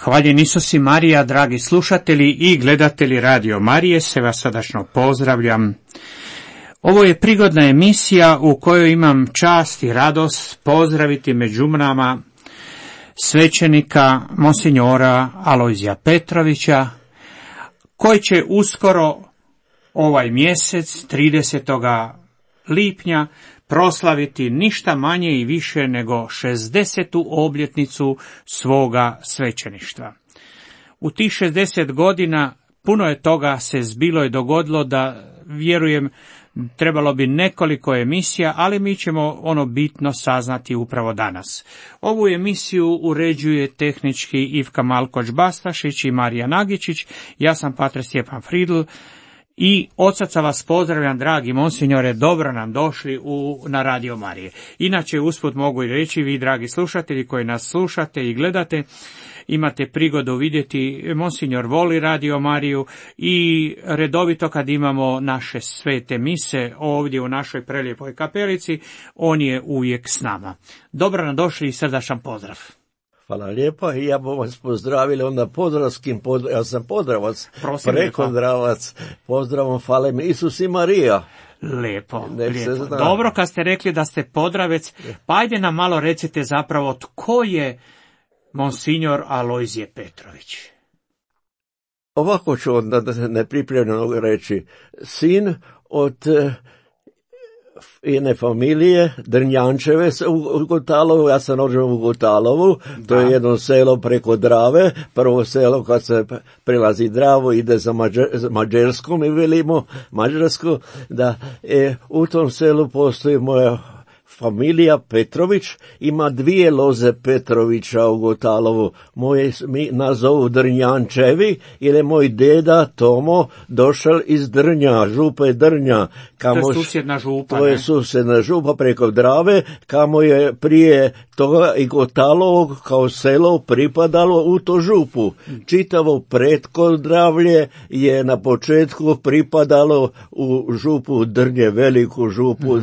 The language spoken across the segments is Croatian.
Hvaljen Isus i Marija, dragi slušatelji i gledatelji Radio Marije, se vas srdačno pozdravljam. Ovo je prigodna emisija u kojoj imam čast i radost pozdraviti među nama svećenika monsinjora Alojzija Petrovića, koji će uskoro ovaj mjesec, 30. lipnja, proslaviti ništa manje i više nego 60. obljetnicu svoga svećeništva. U tih 60 godina puno je toga se zbilo i dogodilo da, vjerujem, trebalo bi nekoliko emisija, ali mi ćemo ono bitno saznati upravo danas. Ovu emisiju uređuje tehnički Ivka Malkoć-Bastašić i Marija Nagičić. Ja sam pater Stjepan Fridl. I od srca vas pozdravljam, dragi monsinjore, dobro nam došli na Radio Marije. Inače, usput mogu i reći, vi, dragi slušatelji koji nas slušate i gledate, imate prigodu vidjeti, monsinjor voli Radio Mariju i redovito kad imamo naše svete mise ovdje u našoj prelijepoj kapelici, on je uvijek s nama. Dobro nam došli i srdačan pozdrav. Hvala lijepa i ja bom vas pozdravili onda podravskim, ja sam podravac, prekodravac, pozdravom, hvala mi Isus i Marija. Lijepo. Dobro kad ste rekli da ste podravec, pa ajde nam malo recite zapravo tko je monsinjor Alojzije Petrović. Ovako ću onda nepripremljeno reći, sin od jedne familije, Drnjančeve u Gotalovu, ja sam rođen u Gotalovu, to je jedno selo preko Drave, prvo selo kad se prelazi Dravu, ide za Mađarsku, mi velimo Mađarsku, da u tom selu postoji moja familija Petrović, ima dvije loze Petrovića u Gotalovu. Mi nazovu Drnjančevi, jer je moj deda Tomo došao iz Drnja, župe Drnja. To je susjedna župa. To je susjedna župa preko Drave, kamo je prije toga i Gotalovo kao selo pripadalo u to župu. Čitavo Pretkodravlje je na početku pripadalo u župu Drnje, veliku župu.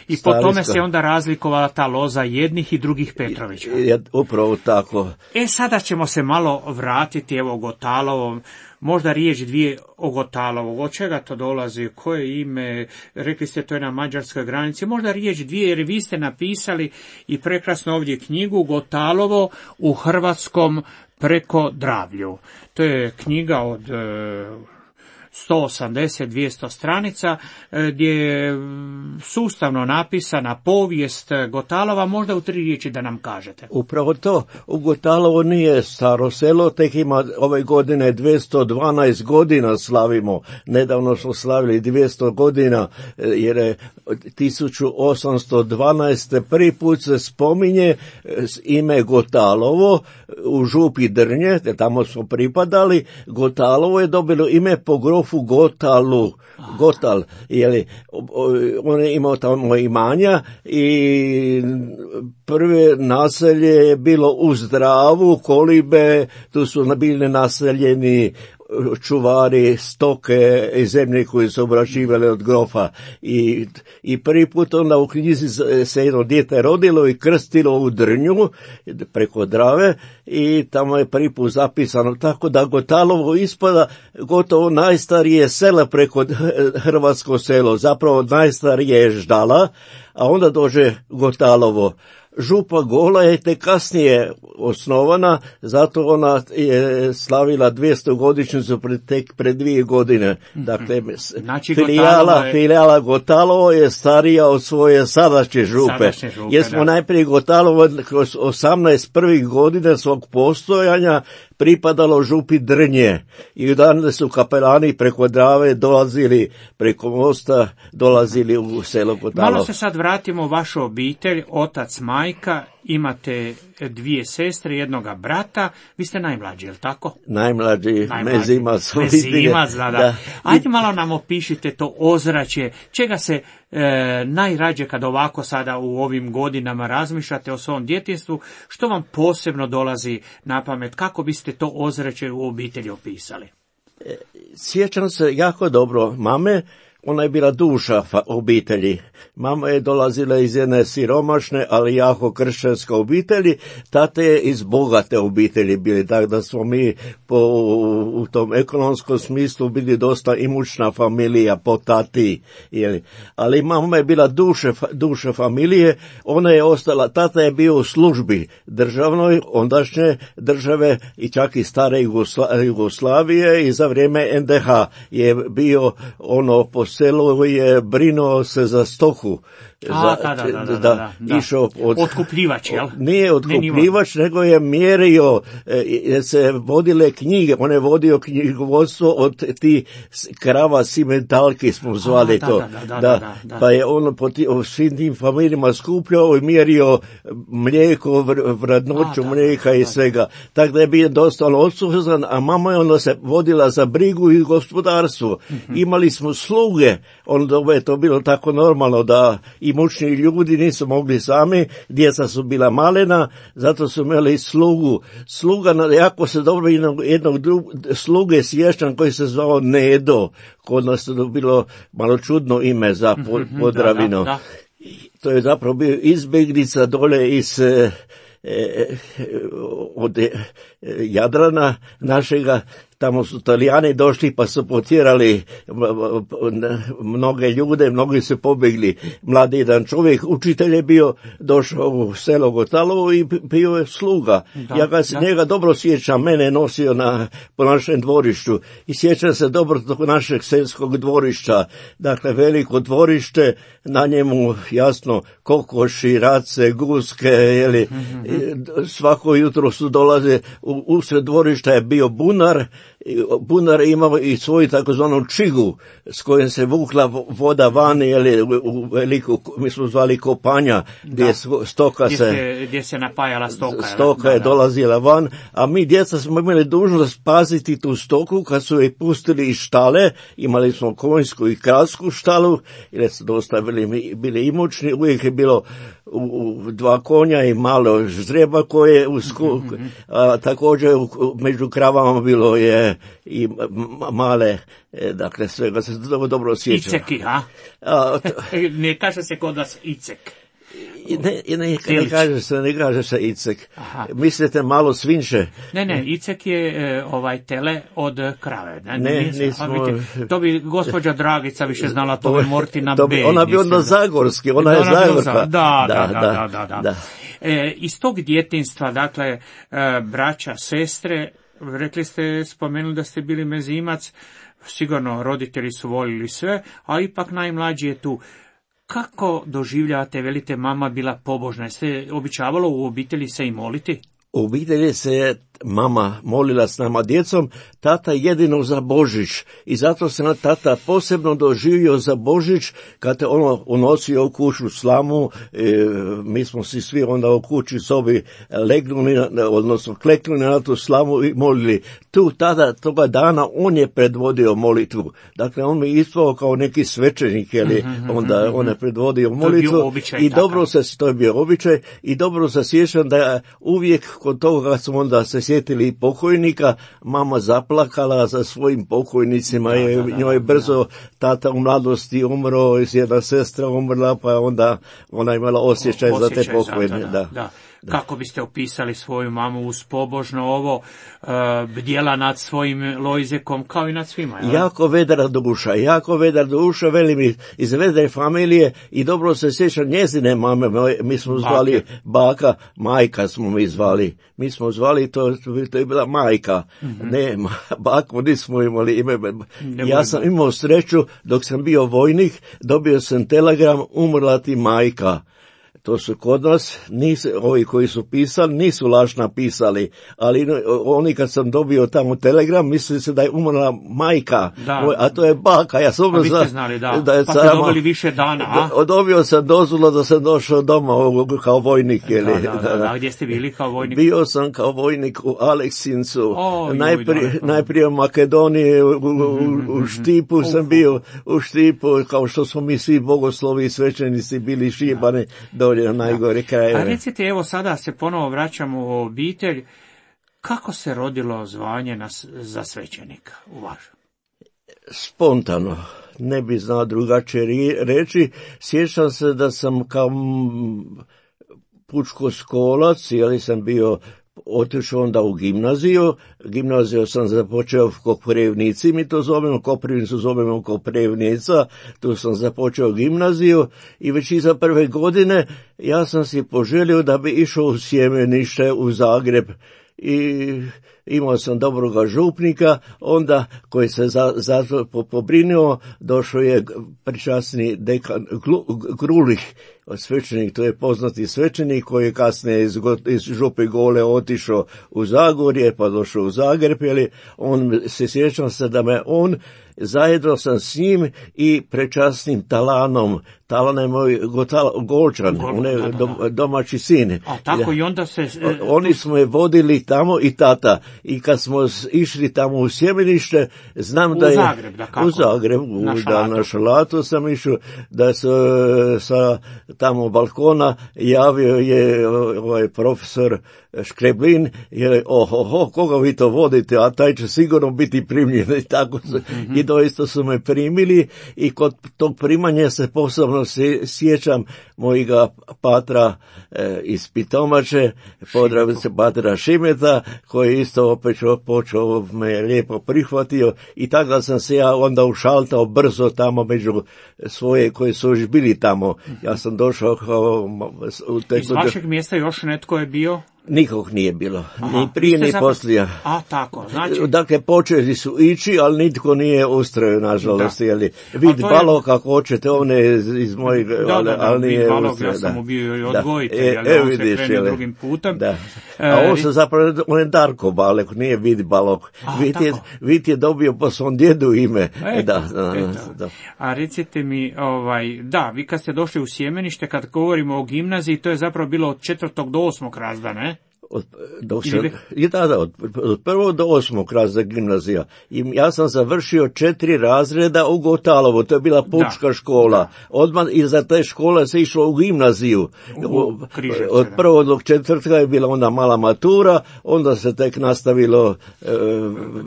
I po tome se onda razlikovala ta loza jednih i drugih Petrovića. Upravo tako. Sada ćemo se malo vratiti evo Gotalovom. Možda riječ dvije o Gotalovu. Od čega to dolazi? Koje ime? Rekli ste to je na mađarskoj granici. Možda riječ dvije, jer vi ste napisali i prekrasno ovdje knjigu Gotalovo u hrvatskom Prekodravlju. To je knjiga od 180-200 stranica gdje je sustavno napisana povijest Gotalova, možda u 3 riječi da nam kažete. Upravo to, u Gotalovo nije staro selo, tek ima ove godine 212 godina slavimo, nedavno smo slavili 200 godina, jer je 1812. prvi put se spominje ime Gotalovo u župi Drnje, tamo smo pripadali. Gotalovo je dobilo ime po grofu Gotal, jeli, on je imao tamo imanja i prve naselje je bilo uz Dravu, kolibe, tu su bili naseljeni čuvari stoke i zemlje koji su obrađivali od grofa i prvi put onda u knjizi se jedno dijete rodilo i krstilo u Drnju preko Drave i tamo je prvi put zapisano, tako da Gotalovo ispada gotovo najstarije sela preko hrvatsko selo, zapravo najstarije je Ždala, a onda dođe Gotalovo. Župa Gola je tek kasnije osnovana, zato ona je slavila 200 godišnjicu tek pred 2 godine. Dakle, znači, filijala Gotalovo je starija od svoje sadašnje župe. Jer smo najprije Gotalovo kroz 18 prvih godina svog postojanja pripadalo župi Drnje i danas su kapelani preko Drave dolazili, preko mosta dolazili u selo Gotalovo. Malo se sad vratimo u vašu obitelj, otac, majka, imate 2 sestre, jednoga brata, vi ste najmlađi, je li tako? Najmlađi. Mezimac. Da. Ajde malo nam opišite to ozračje, čega se najrađe kad ovako sada u ovim godinama razmišljate o svom djetinjstvu, što vam posebno dolazi na pamet, kako biste to ozračje u obitelji opisali? Sjećam se jako dobro mame ona je bila duša obitelji. Mama je dolazila iz jedne siromašne, ali jako kršćanske obitelji, tate je iz bogate obitelji bili, tako da smo mi u tom ekonomskom smislu bili dosta imućna familija po tati. Ali mama je bila duša familije, ona je ostala, tata je bio u službi državnoj, ondašnje države i čak i stare Jugoslavije, i za vrijeme NDH je bio po selu, je brinuo se za stoku. Išao otkupljivač, jel? Nije otkupljivač, nego je mjerio, se vodile knjige, on je vodio knjigovodstvo od ti krava simentalki smo zvali to. Pa je on po svim tim familijama skupljao i mjerio mlijeko, vrednoću mlijeka i svega. Tako da je bio dosta odsuzan, a mama je onda se vodila za brigu i gospodarstvo. Imali smo sluge, onda je to bilo tako normalno da imućni ljudi nisu mogli sami, djeca su bila malena, zato su imali slugu. Sluga, jako se dobro jednog sluge sjećam koji se zvao Nedo, kod nas je bilo malo čudno ime za Podravinu. To je zapravo bio izbjeglica dole iz od Jadrana našega. Tamo su Italijani došli pa su potjerali mnoge ljude, mnogi su pobjegli. Mladi jedan čovjek, učitelj je bio, došao u selo Gotalovo i bio je sluga. Ja se njega dobro sjećam, mene je nosio po našem dvorištu i sjećam se dobro tog našeg selskog dvorišta. Dakle, veliko dvorište, na njemu jasno kokoši, race, guske, svako jutro su dolaze, usred dvorišta je bio bunar. Bunar je imao i svoju takozvanu čigu s kojom se vukla voda vani, u veliku, mi smo zvali kopanja, gdje stoka gdje se napajala stoka. Stoka je dolazila van, a mi djeca smo imali dužnost paziti tu stoku kad su je pustili iz štale. Imali smo konjsku i kralsku štalu, jer su dosta bili imućni, uvijek je bilo dva konja i malo ždreba koje također među kravama bilo je i male, dakle svega se dobro sjećam. Iceki, ne kaže se kod vas icek. Ne kaže se icek. Mislite malo svinše? Ne, icek je tele od krave. To bi gospođa Dragica više znala, to bi Mortina B. Ona bi onda zagorski, ona je zagorka. Da. Iz tog djetinjstva, dakle, braća, sestre, rekli ste, spomenuli da ste bili mezimac, sigurno roditelji su volili sve, a ipak najmlađi je tu. Kako doživljavate, velite, mama bila pobožna? Ste običavalo u obitelji se i moliti? U obitelji se mama molila s nama djecom, tata jedino za Božić. I zato se tata posebno doživio za Božić, kad je ono unosio u kuću slamu, mi smo si svi onda u kući sobi legnuli, odnosno kleknuli na tu slamu i molili. Toga dana on je predvodio molitvu. Dakle, on mi ispao kao neki svećenik, onda on je predvodio molitvu. I dobro to je bio običaj, i dobro se sjećam da uvijek kod toga kad smo onda se sjetili pokojnika, mama zaplakala za svojim pokojnicima, njoj brzo tata u mladosti umro, jedna sestra umrla, pa onda ona imala osjećaj za te pokojne. Da. Kako biste opisali svoju mamu uz pobožno ovo, bdjela nad svojim Lojzekom kao i nad svima? Jako vedra duša, veli mi iz vedre familije, i dobro se sjećam njezine mame, mi smo zvali baka, majka smo mi zvali. Mi smo zvali, to je bila majka. Ne, baku nismo imali ime. Ja sam imao sreću, dok sam bio vojnik, dobio sam telegram, umrla ti majka. To su kod nas, ovi koji su pisali, nisu laž napisali, ali oni kad sam dobio tamo telegram, mislili se da je umrla majka, a to je baka. Ja sam vi ste znali, da je pa ste dobili više dana, Dobio sam dozvolu da sam došao doma kao vojnik. Da. Gdje ste bili kao vojnik? Bio sam kao vojnik u Aleksincu, najprije u Makedoniji, u Štipu sam bio, u Štipu, kao što smo mi svi bogoslovi i svećenici bili šibani dolje na najgore krajeve. A recite, evo sada se ponovo vraćamo u obitelj, kako se rodilo zvanje za svećenika u vašem? Spontano. ne bi znao drugačije reći. Sjećam se da sam kao pučkoskolac, jer sam bio otišao onda u gimnaziju. Gimnaziju sam započeo u Koprivnici, mi to zovemo, Koprivnicu zovemo Koprivnica, tu sam započeo gimnaziju i već iza prve godine ja sam si poželio da bi išao u sjemenište u Zagreb i imao sam dobroga župnika, onda koji se za to pobrinuo, došao je pričasni dekan Grulih, svećenik, to je poznati svećenik koji je kasnije iz Župe Gole otišao u Zagorje, pa došao u Zagreb, on se sjećam se da me on, zajedno sam s njim i prečasnim Talanom. Talan je moj Golčan, on je domaći sin. A tako i onda se... Oni smo je vodili tamo i tata. I kad smo išli tamo u sjemenište, znam da je... U Zagreb, da kako? U Zagreb, na Šalatu sam išao, da se sa tamo balkona javio je ovaj profesor Škreblin, je koga vi to vodite, a taj će sigurno biti primljen. I tako i doista su me primili i kod tog primanja se posebno sjećam mojega patra iz Pitomače, Podravnice patra Šimeta, koji isto opet počeo me lijepo prihvatio i tako da sam se ja onda ušaltao brzo tamo među svoje koji su još bili tamo. Ja sam došao kao... Iz vašeg mjesta još netko je bio? Nikog nije bilo, ni prije ni poslije. A, tako, znači... Dakle, počeli su ići, ali nitko nije ustrojio, nažalost, vid balog, kako hoćete, on je iz mojeg, ali nije ustrojio. Ja sam mu bio i odgojitelj, ali on se krenuo drugim putem. Da. A on se zapravo, on je Darko Balog, nije vid balog. Vid je dobio po svom djedu ime. Da. A recite mi, vi kad ste došli u sjemenište, kad govorimo o gimnaziji, to je zapravo bilo od 4. do 8. razreda, ne? Od 1. do 8. razreda gimnazija. I ja sam završio 4 razreda u Gotalovu, to je bila pučka škola. Odmah iza te škole se išlo u gimnaziju. Od 1. do 4. je bila onda mala matura, onda se tek nastavilo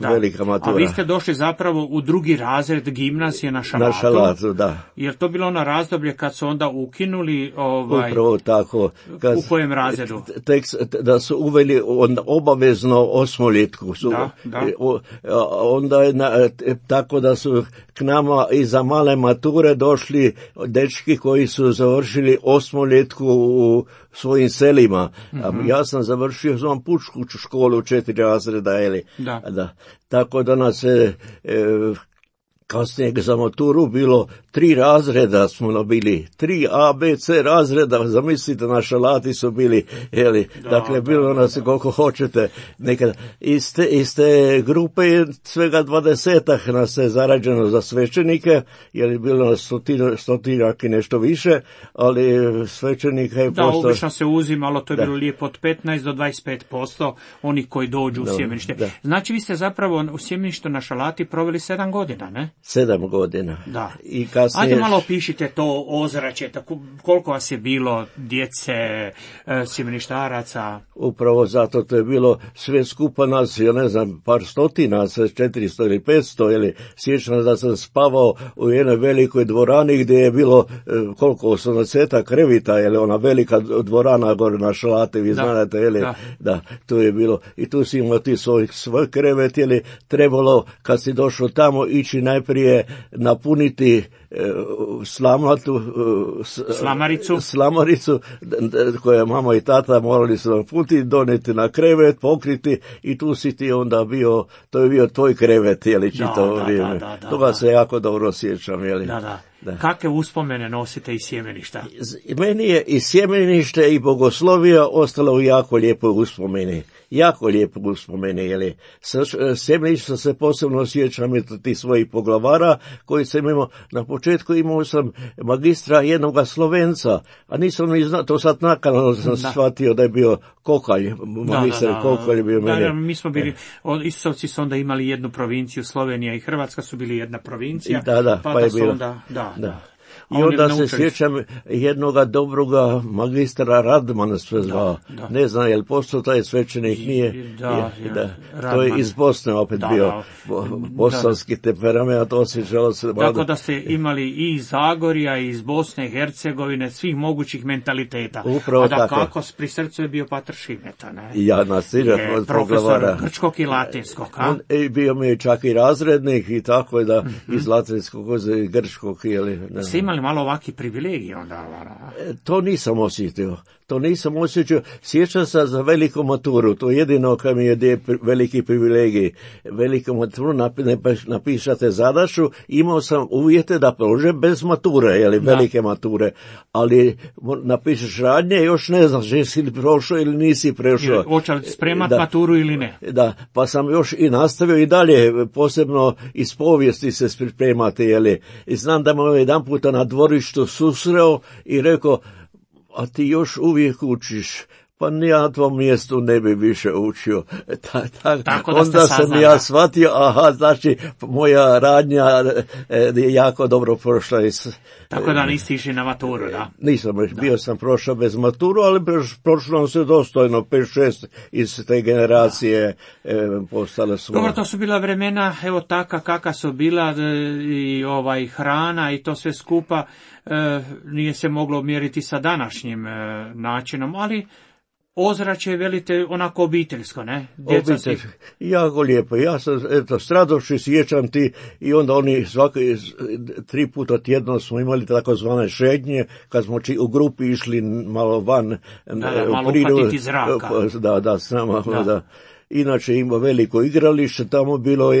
velika matura. A vi ste došli zapravo u 2. razred gimnazije na Šalatu. Na Šalatu, da. Jer to bilo ono razdoblje kad su onda ukinuli... Upravo tako. U kojem razredu? Da su uveli obavezno osmoljetku. Onda je tako da su k nama iza male mature došli dečki koji su završili osmoljetku u svojim selima. Ja sam završio pučku školu u 4 razreda. Da. Tako da nas je... Kasnije za maturu bilo 3 razreda smo bili, 3 A, B, C razreda, zamislite, na Šalati su bili, dakle bilo nas koliko hoćete, nekada. Iz te grupe je svega 20 nas je zarađeno za svećenike, jer je bilo nas stotinjak i nešto više, ali svećenika je postao... Da, obično se uzimalo, to je bilo lijepo od 15 do 25% onih koji dođu u sjemenište. Znači vi ste zapravo u sjemeništu na Šalati proveli 7 godina, ne? 7 godina. Da. I kasnije... Ajde malo opišite to ozračje, koliko vas je bilo djece, sjemeništaraca? Upravo zato to je bilo sve skupa nas, ja ne znam, par stotina, 400 ili 500, sjećam da sam spavao u jednoj velikoj dvorani gdje je bilo koliko, 80 krevita, ona velika dvorana gore na Šalati, vi znate, da, tu je bilo, i tu si imao ti svoj krevet, trebalo, kad si došao tamo, ići najprije napuniti slamaricu koju mama i tata morali su napuniti, doneti na krevet, pokriti i tu si ti onda bio, to je bio tvoj krevet, čitavo vrijeme. Toga se jako dobro sjećam, Da. Kakve uspomene nosite iz sjemeništa? Meni je i sjemenište i bogoslovija ostalo u jako lijepoj uspomeni. Jako lijepo uspomeni, sjemeništa se posebno sjećam ti svojih poglavara koji sam imao. Na početku imao sam magistra jednoga Slovenca, a nisam ni znao, to sad nakon sam shvatio da je bio Kokalj, magistar Kokalj je bio mene. Mi smo bili, Istovci su onda imali jednu provinciju, Slovenija i Hrvatska su bili jedna provincija, pa je bilo. Da. I onda se sjećam jednoga dobroga magistra Radmana sve zvao. Ne znam, je li postao taj svećenik? Nije. To je iz Bosne opet bio. Bosanski temperament, osjećalo se. Tako da ste imali i iz Zagorja, i iz Bosne i Hercegovine, svih mogućih mentaliteta. Upravo a da tako. Kako pri srcu je bio Pater Šimeta, ne? Ja nasirat od profesor grčkog i latinskog, a? Bio mi je čak i razrednik i tako da iz latinskog i grčkog. Ste imali malo ovakvi privilegije onda? To nisam osjetio. Sjećam se za veliku maturu, to je jedino kad mi je veliki privilegij. Veliku maturu napišate zadaću, imao sam uvjete da prođem bez mature, velike mature, ali napišeš radnje, još ne znaš jesi li prošao ili nisi prošao. Hoće li spremat maturu ili ne? Da, pa sam još i nastavio i dalje, posebno iz povijesti se pripremati, i znam da me jedan puta na dvorištu susreo i rekao, a ti još uvijek učiš, pa ni ja na tvom mjestu ne bi više učio. Onda sam ja shvatio, znači moja radnja je jako dobro prošla. Tako da niste išli na maturu, da? Nisam, bio sam prošao bez maturu, ali prošlo se dostojno, 5-6 iz te generacije postale su. Dobro, to su bila vremena, evo taka kakva su bila, i hrana i to sve skupa, nije se moglo mjeriti sa današnjim načinom, ali ozračje, velite, onako obiteljsko, ne? Jako lijepo. Ja sam, s radošću sjećam ti, i onda oni 3 puta tjedno smo imali takozvane šetnje, kad smo u grupi išli malo van. Malo uhvatiti zraka. Da, s nama, da. Inače ima veliko igralište tamo bilo,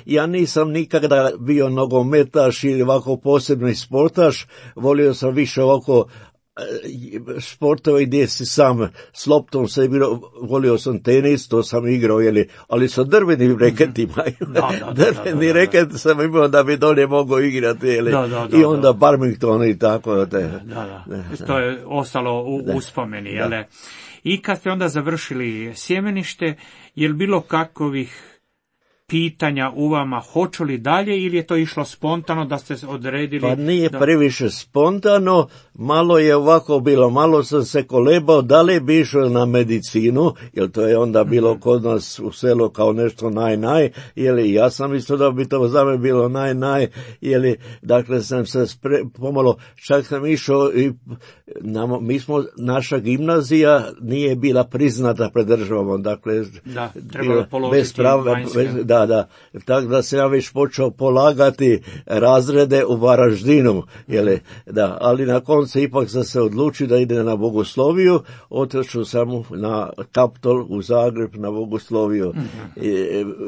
ja nisam nikada bio nogometaš ili ovako posebni sportaš, volio sam više ovako sportove gdje si sam s loptom se bilo, volio sam tenis, to sam igrao, ali sa drvenim reketima. Drveni reket sam imao da bi dolje mogao igrati, i onda badminton i tako. To je ostalo u uspomeni, jel? I kad ste onda završili sjemenište, je li bilo kakovih pitanja u vama, hoću li dalje, ili je to išlo spontano da ste odredili? Pa nije previše spontano, malo je ovako bilo, malo sam se kolebao da li bi išao na medicinu, jer to je onda bilo kod nas u selu kao nešto naj, ja sam isto da bi to za me bilo naj, dakle sam se pomalo, čak sam išao i naša gimnazija nije bila priznata pred državom, dakle, trebalo položiti vanjske. Tako da sam ja već počeo polagati razrede u Varaždinu, ali na koncu ipak sam se odlučio da ide na bogosloviju, otišao sam na Kaptol u Zagreb na bogosloviju.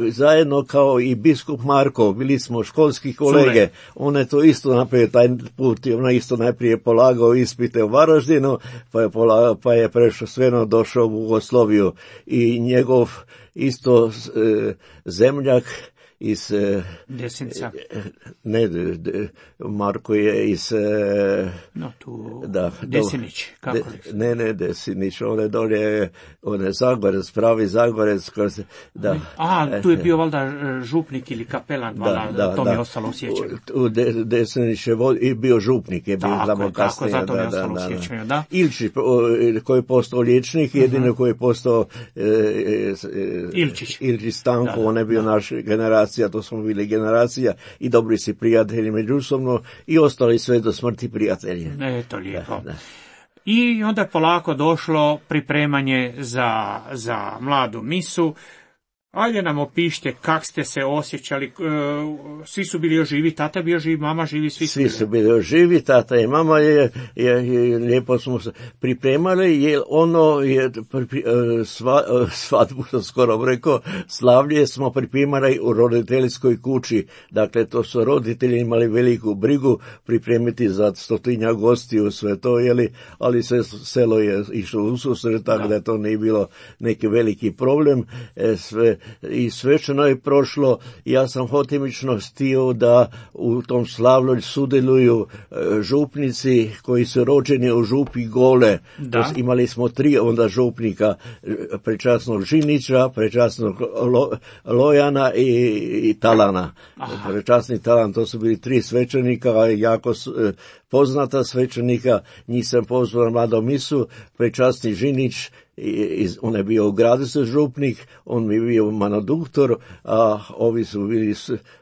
Zajedno kao i biskup Marko, bili smo školski kolege, on je to isto napravio taj put, on je isto najprije polagao ispite u Varaždinu, pa je prešao sveno došao u bogosloviju, i njegov isto zemljak iz Desinca. Marko je iz Desinić, kako li? Ne Desinić, on je dolje, on je Zagorec, pravi Zagorec. Tu je bio valjda župnik ili kapelan, to mi je ostalo u sjećanju. Desinić je bio župnik, je bio tamo kasnije. Tako, zato mi je ostalo u sjećanju, da. Ilčić, koji je postao liječnik, jedino koji je postao Ilčić Stanko, on je bio naš generacija, to smo bili generacija i dobri si prijatelji međusobno i ostali sve do smrti prijatelji. To lijepo. I onda je polako došlo pripremanje za mladu misu. Ajde nam opišite kak ste se osjećali, svi su bili još živi, tata je bio živ, mama živi, svi su bili još živi, tata i mama je lijepo smo se pripremali, jer ono je svadbu sam skoro rekao, slavlje smo pripremali u roditeljskoj kući, dakle to su roditelji imali veliku brigu pripremiti za 100 gostiju, sve to, ali selo je išlo u susret, tako da to nije bilo neki veliki problem, i svečano je prošlo. Ja sam hotimično htio da u tom slavlju sudjeluju župnici koji su rođeni u župi Gole. Imali smo 3 onda župnika, prečasnog Žinića, prečasnog Lojana i Talana. Prečasni Talan, to su bili 3 svećenika, jako poznata svećenika, njih sam pozvao na mladom misu, prečasni Žinić, on je bio u gradu se župnik, on mi je bio manoduktor, a ovi su bili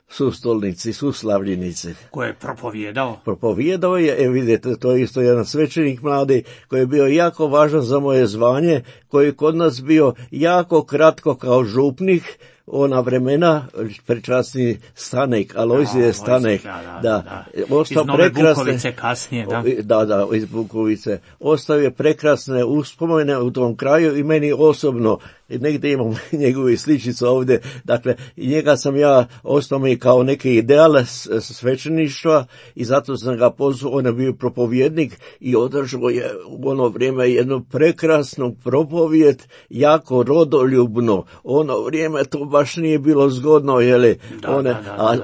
sustolnici, suslavljenici. Ko je propovijedao? Propovijedao je, vidite, to je isto jedan svećenik mladi, koji je bio jako važan za moje zvanje, koji je kod nas bio jako kratko kao župnik, ona vremena, prečasni Stanek, Alojzije Stanek, da. Iz Nove Bukovice kasnije, da. Da, iz Bukovice. Ostao je prekrasne uspomene u tom kraju i meni osobno, negdje imam njegove sličice ovdje, dakle, njega sam ja, ostao mi kao neki ideal svećeništva i zato sam ga pozvao, on je bio propovjednik i održao je u ono vrijeme jednu prekrasnu propovijed, jako rodoljubno. Ono vrijeme to baš nije bilo zgodno, jeli,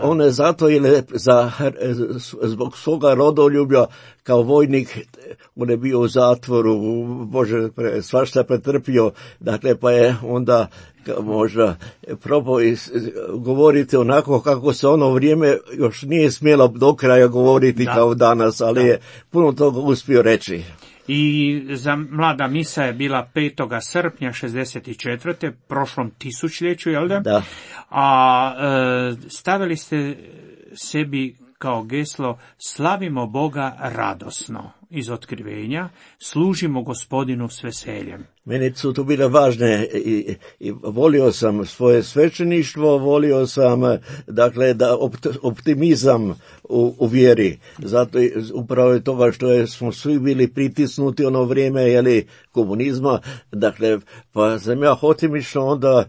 on je zato, jeli, zbog svoga rodoljublja kao vojnik, on je bio u zatvoru, Bože, svašta pretrpio, dakle, pa je onda možda probao govoriti onako kako se ono vrijeme još nije smjelo do kraja govoriti kao danas, ali je puno toga uspio reći. I za mlada misa je bila 5. srpnja 64. prošlom tisućljeću, jel da? Da. A stavili ste sebi kao geslo slavimo Boga radosno iz otkrivenja, služimo Gospodinu s veseljem. Meni su to bile važne i volio sam svoje svećeništvo, volio sam, dakle, da optimizam u vjeri. Zato upravo je toga što smo svi bili pritisnuti ono vrijeme, jeli, komunizma, dakle, pa sam ja hotimično onda,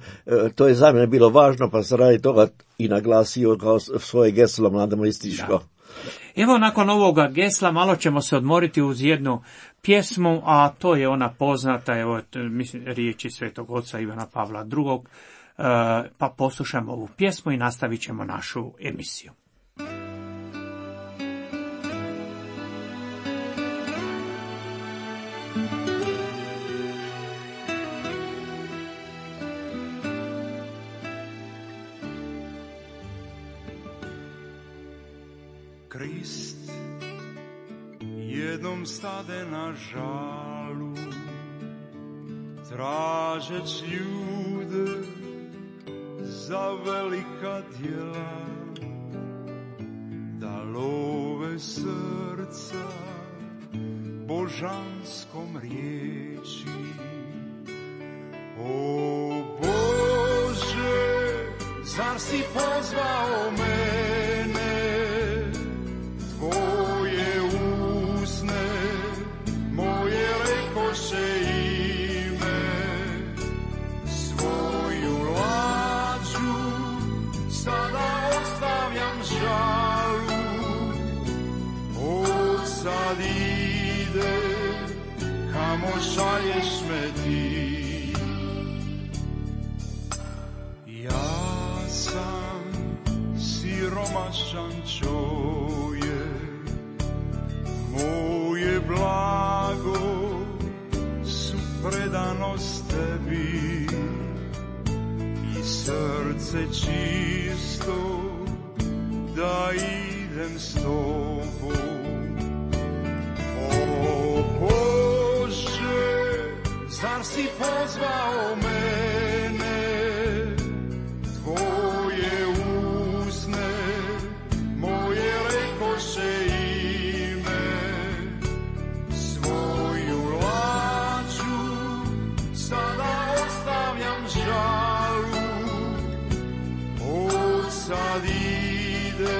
to je za mene bilo važno, pa sam radi toga i naglasio kao svoje geslo mladomističko. Evo, nakon ovoga gesla malo ćemo se odmoriti uz jednu pjesmu, a to je ona poznata, evo, mislim, riječi Svetog Oca Ivana Pavla II. Pa poslušamo ovu pjesmu i nastavit ćemo našu emisiju. Krist jednom stade na žalu, tražeć ljude za velika djela, da love srca božanskom riječi. O Bože, zar si pozvao mene, tvoje usne moje rekoše ime, svoju lađu sada ostavljam žalu, odsad ide kamo šalješ me ti. Ja sam siromašan čovjek, moje blago su predanost tebi i srce čisto da idem s tobom. O Bože, zar si pozvao mene, tvoje usne moje rekoše ime, svoju lađu sada ostavljam žalu, odsad ide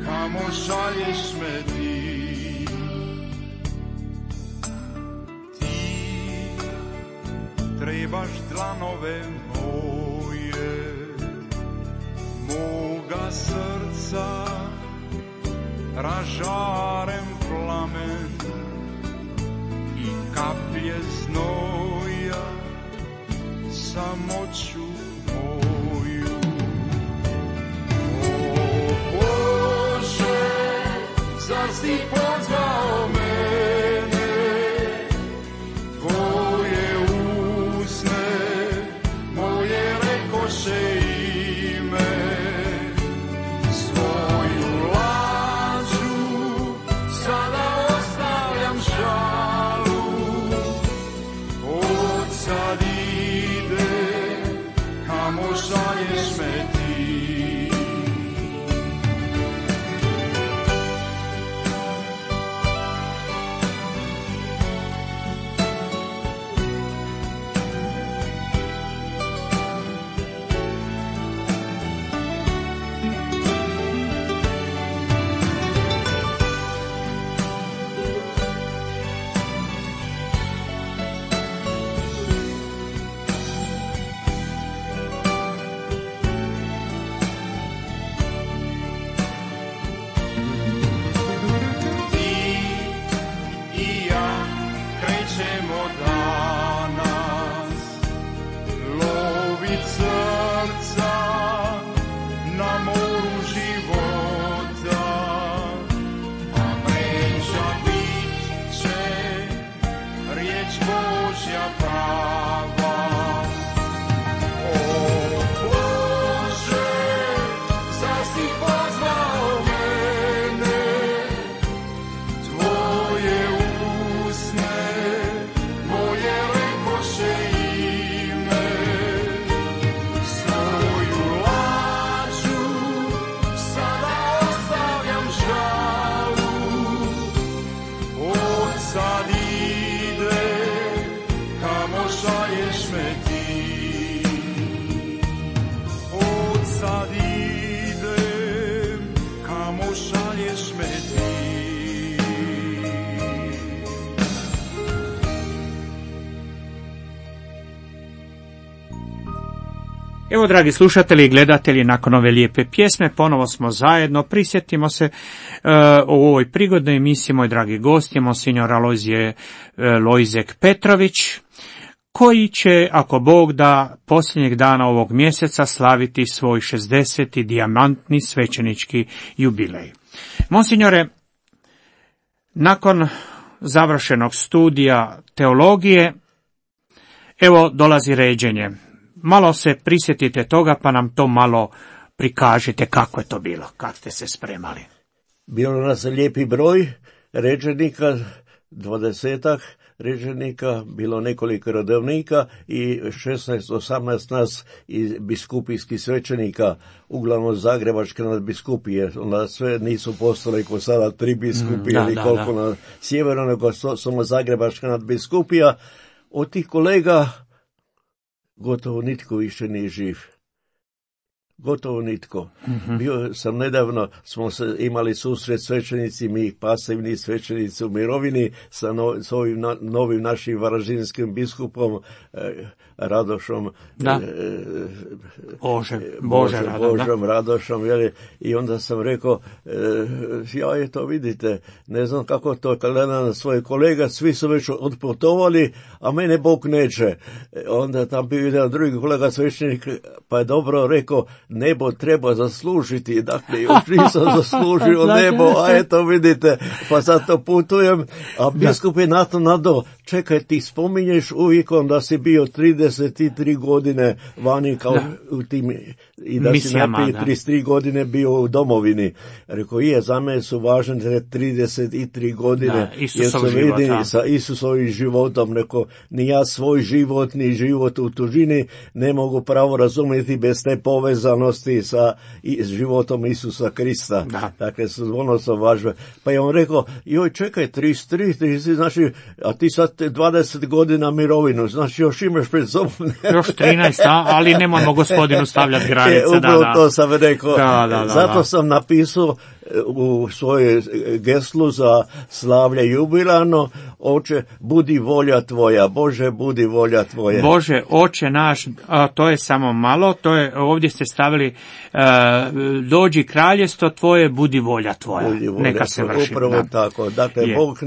kamo šalješ me ti. Ti trebaš dlanove moje, moga srca ražarem plamen i kaplje znoja samoću moju. O Bože, zar si pozvao mene, tvoje usne moje rekoše ime, svoju lađu sad ide, kamo šalješ me ti. Evo, dragi slušatelji i gledatelji, nakon ove lijepe pjesme ponovo smo zajedno. Prisjetimo se u ovoj prigodnoj emisiji, moj dragi gost je monsignor Alojzije Lojzek Petrović, koji će, ako Bog da, posljednjeg dana ovog mjeseca slaviti svoj 60. dijamantni svećenički jubilej. Monsignore, nakon završenog studija teologije, evo dolazi ređenje. Malo se prisjetite toga, pa nam to malo prikažite kako je to bilo, kako ste se spremali. Bilo nas lijepi broj ređenika, 20 ređenika, bilo nekoliko redovnika i 16-18 nas i biskupijskih svećenika, uglavnom zagrebačke nadbiskupije. Onda sve nisu postale ko sada 3 biskupije ili koliko na sjeveru, nego samo zagrebačka nadbiskupija. Od tih kolega gotovo nitko više nije živ. Gotovo nitko. Bio sam nedavno, smo se imali susret svećenici, mi pasivni svećenici u mirovini sa ovim novim našim varaždinskim biskupom Radošom. Da. Božom Radošom. I onda sam rekao, ja je to vidite, ne znam kako to gledam na svoje kolega, svi su već otputovali, a mene Bog neće. Onda tam bio jedan drugi kolega svećenik, pa je dobro rekao, nebo treba zaslužiti, dakle još nisam zaslužio nebo, a eto vidite, pa zato putujem, a biskup je na to nadao, čekaj, ti spominješ uvijek da si bio 33 godine vani kao u tim, i da misijama, si najprije 33 godine bio u domovini. Rekao, za mene su važne 33 godine, jer se vidi sa Isusovim životom. Rekao, ni ja svoj život, ni život u tužini ne mogu pravo razumjeti bez te povezanosti sa životom Isusa Krista. Da. Dakle, su ono su važne. Pa je on rekao, joj, čekaj, 33, znači, a ti sad 20 godina mirovinu, znači još imaš pred sobom. Još 13, ali nemojmo gospodinu stavljati granice. Upravo to sam rekao. Zato sam napisao u svojoj geslu za slavlje jubilano, Oče, budi volja tvoja, Bože, budi volja tvoja. Bože, Oče naš, to je samo malo, to je, ovdje ste stavili, dođi kraljestvo tvoje, budi volja tvoja. Neka se vrši. Upravo tako. Dakle, Bog,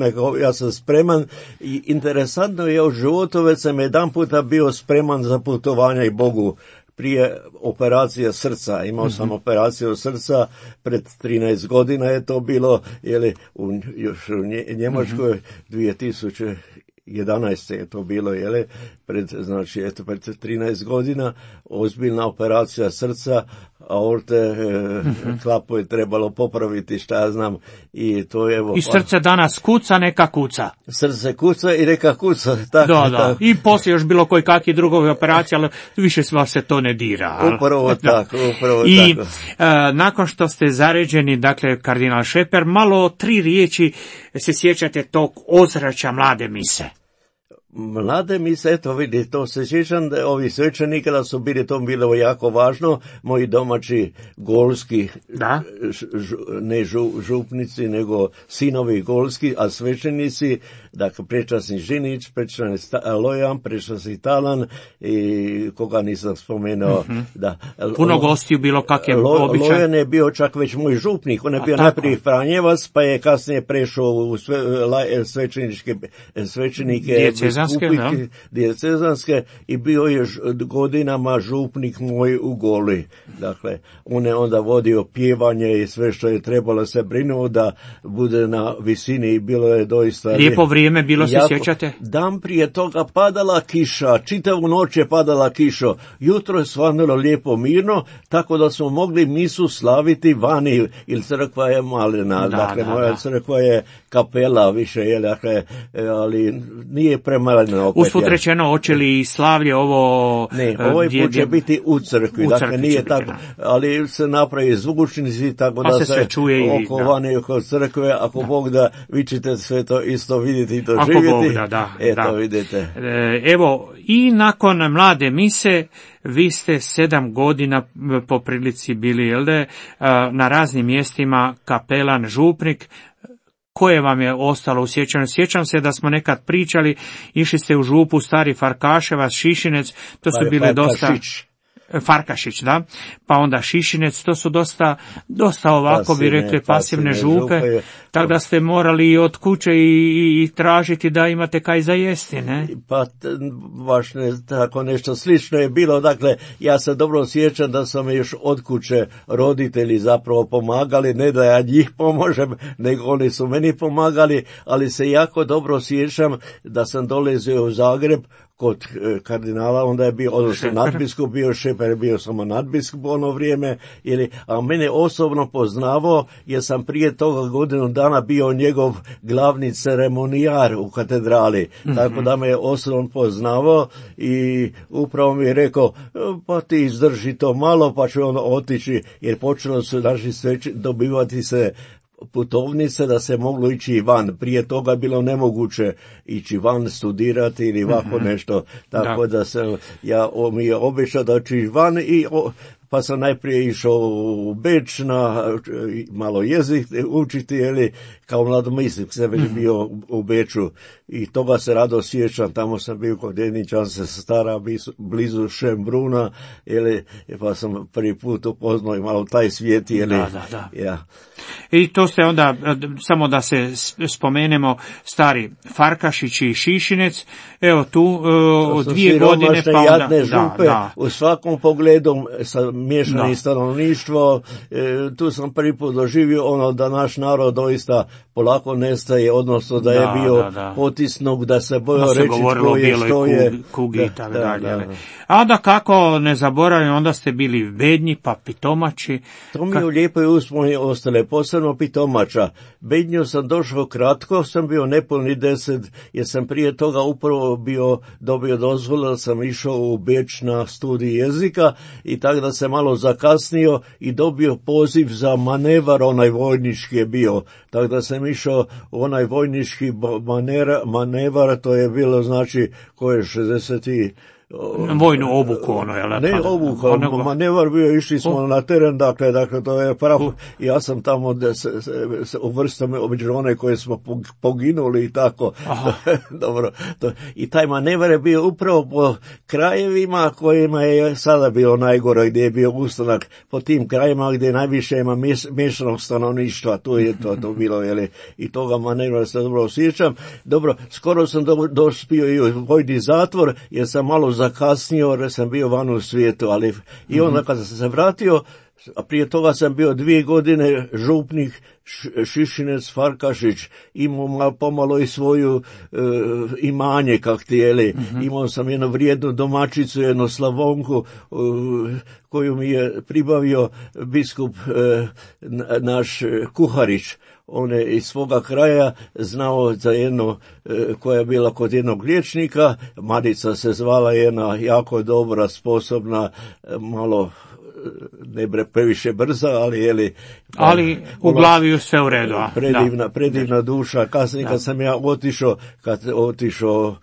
ja sam spreman i interesantno je u životu, već sam jedan puta bio spreman za putovanje i Bogu. Prije operacije srca, imao sam operaciju srca, pred 13 godina je to bilo, još u Njemačkoj 2011. je to bilo, pred 13 godina, ozbiljna operacija srca, aorte, klapu je trebalo popraviti, šta ja znam, i to je evo... I srce danas kuca, neka kuca. Srce kuca i neka kuca. Tako, Da. tako. I poslije još bilo koji kakvi drugovi operacije, ali više vas se to ne dira. Upravo tako, upravo I tako. nakon što ste zaređeni, dakle, kardinal Šeper, malo 3 riječi se sjećate tog ozračja mlade mise. Mlade mise, eto vidi, to se sjećam da ovi svećenika da su bili, to bilo jako važno, moji domaći golski, Da. ne župnici, nego sinovi golski, a svećenici, dakle, prečasni Žinić, prečasni Lojan, prečasni Talan i koga nisam spomenuo. Da. Puno gostiju bilo kak je običaj. Lojan je bio čak već moj župnik, on je bio tako. najprije Franjevac, pa je kasnije prešao u svećenike, dijecezanske i bio je godinama župnik moj u Goli. Dakle, on je onda vodio pjevanje i sve što je trebalo, se brinuo da bude na visini i bilo je doista... Lijepo vrijeme bilo, se sjećate? Dan prije toga padala kiša, čitavu noć je padala kiša, jutro je svanulo lijepo mirno, tako da smo mogli misu slaviti vani, ili crkva je malena, dakle moja crkva je kapela više, dakle, ali nije premalena. Usput rečeno, hoće li slavlje ovo... Ne, ovaj put će biti u crkvi, dakle nije tako, ali se napravi zvučnici, tako da se čuje oko vani, oko crkve, ako Bog da, vi ćete sve to isto vidjeti i to ako živjeti. Bog da, eto, vidite. Evo, i nakon mlade mise, vi ste 7 godina po prilici bili, jel da, na raznim mjestima kapelan, župnik. Koje vam je ostalo u sjećanju? Sjećam se da smo nekad pričali, išli ste u župu Stari Farkaševac, Šišinec, to su bile dosta... Farkašić, da, pa onda Šišinec, to su dosta ovako bi rekli pasivne župe, tako da ste morali od kuće i tražiti da imate kaj za jesti, ne? Pa baš tako nešto slično je bilo, dakle, ja se dobro sjećam da sam još od kuće roditelji zapravo pomagali, ne da ja njih pomožem, nego oni su meni pomagali, ali se jako dobro sjećam da sam dolazio u Zagreb kod kardinala, onda je bio, odnosno nadbiskup bio, Šeper je bio samo nadbiskup u ono vrijeme, a mene osobno poznavao, jer sam prije toga godinu dana bio njegov glavni ceremonijar u katedrali, tako da me je osobno poznavao i upravo mi je rekao, pa ti izdrži to malo, pa ću onda otići, jer počelo su naši dobivati se putovnice da se moglo ići van. Prije toga je bilo nemoguće ići van studirati ili ovako nešto. Tako da sam, mi je obećao da ću ići van pa sam najprije išao u Beč na malo jezik učiti, kao mladomislik sam već bio u Beču i toga se rado sjećam, tamo sam bio kod jedničanske stara, blizu Šembruna, pa sam prvi put upoznao i malo taj svijet, Da. Ja. I to ste onda, samo da se spomenemo, Stari Farkašić i Šišinec, evo tu 2 godine, pa onda... Jadne župe, u svakom pogledu sa miješani stanovništvo, tu sam prvi put doživio ono da naš narod doista polako nestaje, odnosno da je bio potisnut, da se bojao reći tko je, što je. Kugi i tako dalje. A da kako ne zaboravim, onda ste bili Bednji, pa Pitomači. To mi je u lijepoj uspomeni ostale, posebno Pitomača. Bednju sam došao kratko, sam bio nepuni 10, jer sam prije toga upravo dobio dozvolu da sam išao u Beč na studij jezika i tako da sam malo zakasnio i dobio poziv za manevar, onaj vojnički je bio. Tako da sam išao u onaj vojnički manevar, to je bilo znači koje je 60 vojnu obuku, ono, jel? Ne obuku, manevar bio, išli smo na teren, dakle, to je pravo, ja sam tamo se uvrstio među one koje smo poginuli i tako. Dobro, i taj manevar je bio upravo po krajevima kojima je sada bio najgore, gdje je bio ustanak, po tim krajima gdje najviše ima miješanog stanovništva, tu je to bilo, i toga manevra se dobro osjećam. Dobro, skoro sam dospio i u vojni zatvor, jer sam malo zakasnio, jer sam bio van u svijetu, ali i onda kada sam se vratio, a prije toga sam bio 2 godine župnik Šišinec Farkašić, imao pomalo i svoju imanje, kak tijeli. Imao sam jednu vrijednu domaćicu, jednu Slavonku, koju mi je pribavio biskup naš Kuharić. On je iz svoga kraja znao za jednu koja je bila kod jednog liječnika, Marica se zvala, jedna jako dobra, sposobna, malo ne bre previše brza, ali u glavi sve u redu. Predivna duša. Kasnije kad sam ja otišao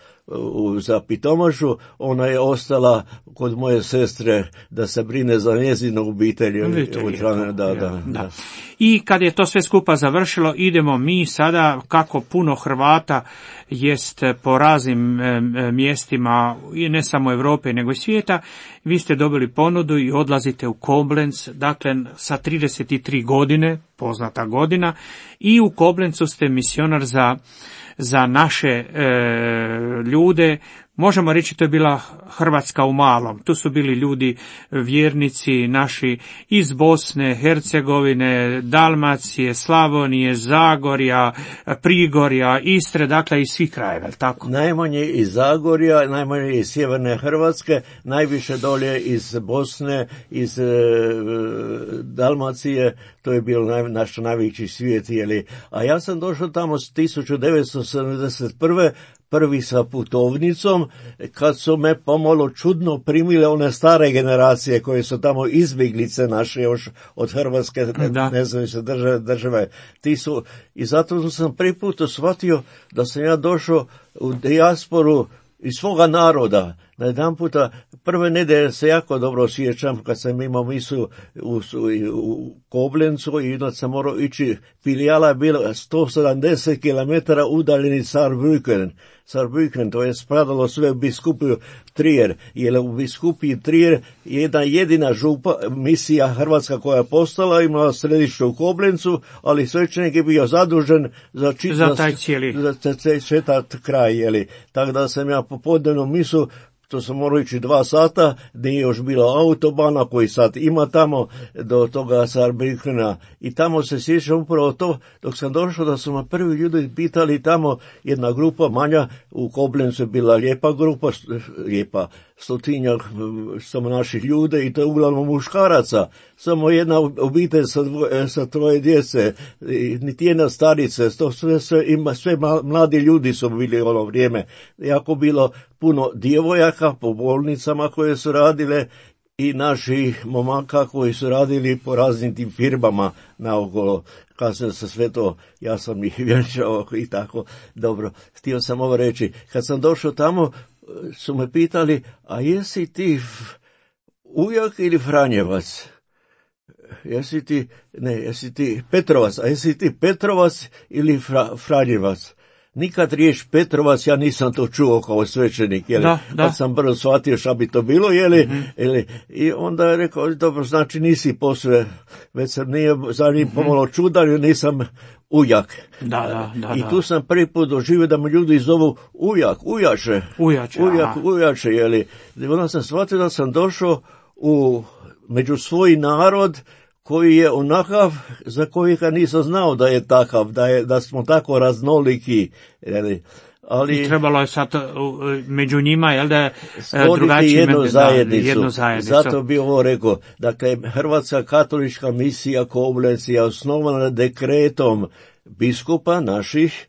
za Pitomašu, ona je ostala kod moje sestre da se brine za njezinu obitelj. Da. I kad je to sve skupa završilo, idemo mi sada, kako puno Hrvata jest po raznim mjestima, i ne samo Europe nego i svijeta, vi ste dobili ponudu i odlazite u Koblenz, dakle sa 33 godine, poznata godina, i u Koblencu ste misionar za naše ljude. Možemo reći to je bila Hrvatska u malom. Tu su bili ljudi, vjernici naši iz Bosne, Hercegovine, Dalmacije, Slavonije, Zagorja, Prigorja, Istre, dakle iz svih krajeva, tako? Najmanje iz Zagorja, najmanje iz sjeverne Hrvatske, najviše dolje iz Bosne, iz Dalmacije, to je bio naš najveći svijet, a ja sam došao tamo s 1971. prvi sa putovnicom, kad su me pomalo čudno primile one stare generacije koje su tamo izbjeglice naše još od Hrvatske nezavisne države. I zato sam prvi put shvatio da sam ja došao u dijasporu iz svoga naroda. Na jedan puta, prve nedelje se jako dobro sjećam kad sam imao misu u Koblencu i onda sam morao ići, filijala je bila 170 km udaljeni Saarbrücken, to je spadalo sve u biskupiju Trier, jer u biskupiji Trier jedna jedina misija hrvatska koja je postala, imala središte u Koblencu, ali svećenik je bio zadužen za taj cijeli kraj, tako da sam ja popodnevnu misu, to sam morao ići 2 sata, nije još bilo autobana koji sad ima tamo do toga Saarbrückena. I tamo se sjećam upravo to, dok sam došao da su me prvi ljudi pitali tamo, jedna grupa manja, u Koblencu je bila lijepa grupa, 100-tinjak samo naših ljude i to je uglavnom muškaraca, samo jedna obitelj sa 3 djece, niti jedna starice, to sve mladi ljudi su bili u ono vrijeme. Jako bilo puno djevojaka po bolnicama koje su radile i naših momaka koji su radili po raznim tim firmama naokolo. Kasnije se sve to, ja sam ih vjenčao i tako. Dobro, htio sam ovo reći. Kad sam došao tamo, su me pitali, a jesi ti ujak ili Franjevac? Jesi ti Petrovac, a jesi ti Petrovac ili Franjevac? Nikad riječ Petrovac, ja nisam to čuo kao svećenik, kad sam brzo shvatio šta bi to bilo, i onda je rekao, dobro, znači nisi posve, već sam nije za njim pomalo čudan, jer nisam ujak. I tu sam prvi put doživio da me ljudi zovu ujače, onda sam shvatio da sam došao među svoj narod, koji je onakav za kojega nisam znao da je takav, da smo tako raznoliki. Ali i trebalo je sad među njima, da stvoriti jednu zajednicu. Zato bi ovo rekao. Dakle, Hrvatska katolička misija Koblenz je osnovana dekretom biskupa naših.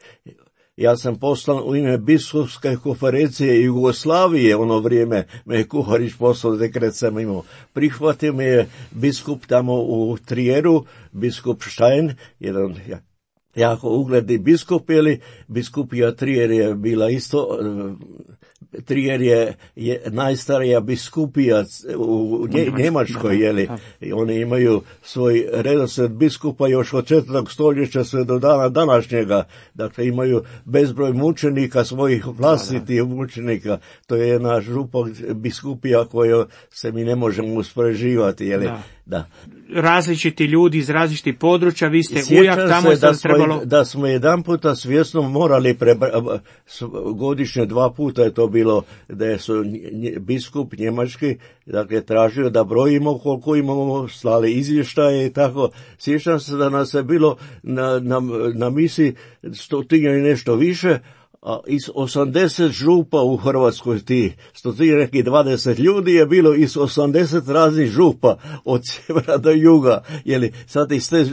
Ja sam poslan u ime biskupske konferencije Jugoslavije, ono vrijeme me je Kuharić poslao, dekret sam imao. Prihvatio me je biskup tamo u Trieru, biskup Stein, jedan jako ugledni biskup, biskupija Trier je bila isto, Trier je najstarija biskupija u Njemačkoj, i oni imaju svoj redoslijed biskupa još od 4. stoljeća sve do dana današnjega, dakle imaju bezbroj mučenika, svojih vlastitih mučenika, to je jedna župa biskupija koju se mi ne možemo uspoređivati, Da. različiti ljudi iz različitih područja, vi ste Sjećam ujak, tamo je sad trebalo... Da smo jedan puta svjesno morali godišnje 2 puta je to bilo, da su biskup njemački, dakle, tražio da brojimo koliko imamo, slali izvještaje i tako. Sjećam se da nas je bilo na misi 100 i nešto više, a iz 80 župa u Hrvatskoj, ti 120 ljudi je bilo iz 80 raznih župa od sjevera do juga, jer sad iz te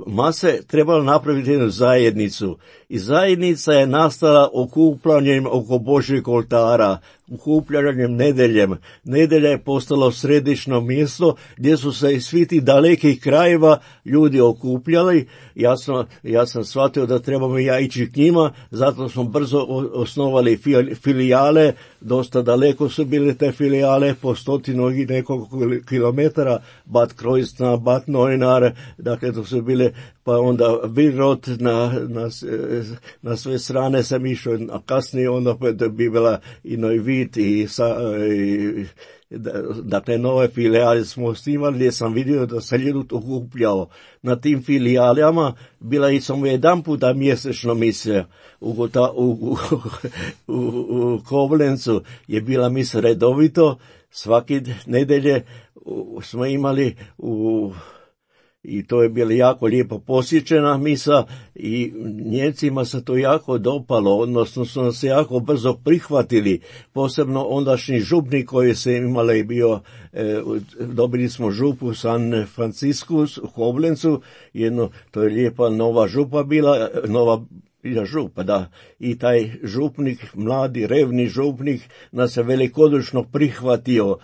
mase trebalo napraviti jednu zajednicu. I zajednica je nastala okupljanjem oko Božjeg oltara, okupljanjem nedeljem. Nedelja je postalo središno mjesto gdje su se iz svih tih dalekih krajeva ljudi okupljali. Ja sam shvatio da trebamo ja ići k njima, zato smo brzo osnovali filijale, dosta daleko su bile te filijale, po 100 i nekoliko kilometara, Bad Kreuznach, Bad Neuenahr, dakle to su bile, pa onda Virot na sve strane sam išao, a kasnije onda bi bila i Neuwied i dakle nove filijale smo osnivali, gdje sam vidio da se ljudi okupljao. Na tim filijalama bila i samo jedan puta mjesečno misija. U Koblencu je bila misa redovito, svake nedelje smo imali i to je bila jako lijepo posjećena misa i Njemcima se to jako dopalo, odnosno su nas jako brzo prihvatili, posebno ondašnji župnik koji se imali bio, dobili smo župu San Franciscus u Koblencu, to je lijepa nova župa bila, nova župa, da. I taj župnik, mladi, revni župnik, nas je velikodušno prihvatio,